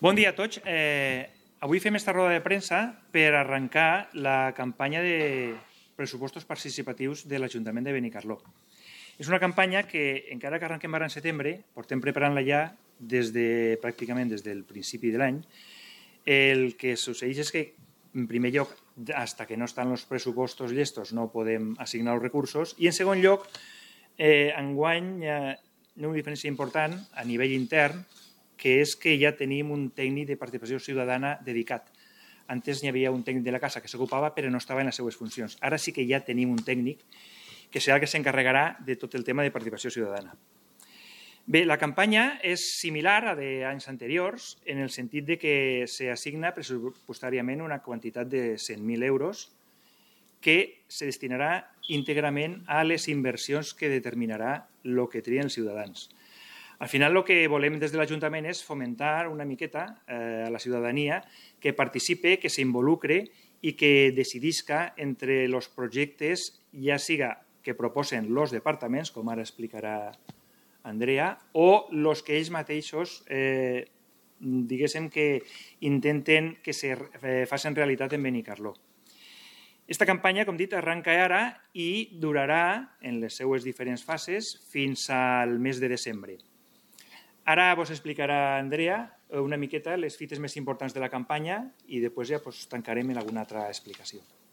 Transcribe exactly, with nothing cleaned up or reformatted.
Bon dia a tots. Eh, avui fem esta roda de premsa per arrencar la campanya de pressupostos participatius de l'Ajuntament de Benicarló. És una campanya que, encara que arrenquem ara en setembre, portem preparant-la ja des de, pràcticament des del principi de l'any. El que succeeix és que, en primer lloc, fins que no estan els pressupostos llestos no podem assignar els recursos, i en segon lloc, eh, enguany hi ha una diferència important a nivell intern, que és que ja tenim un tècnic de participació ciutadana dedicat. Antes n'hi havia un tècnic de la casa que s'ocupava, però no estava en les seues funcions. Ara sí que ja tenim un tècnic que serà el que s'encarregarà de tot el tema de participació ciutadana. Bé, la campanya és similar a d'anys anteriors en el sentit de que s'assigna pressupostàriament una quantitat de cent mil euros que se destinarà íntegrament a les inversions que determinarà el que trien els ciutadans. Al final, el que volem des de l'Ajuntament és fomentar una miqueta a la ciutadania que participe, que s'involucre i que decidisca entre els projectes, ja siga que proposen els departaments, com ara explicarà Andrea, o els que ells mateixos, eh, diguéssim, que intenten que se facin realitat en Benicarló. Aquesta campanya, com dit, arranca ara i durarà, en les seues diferents fases, fins al mes de desembre. Ara vos explicarà Andrea una miqueta les fites més importants de la campanya i després ja tancarem en alguna altra explicació.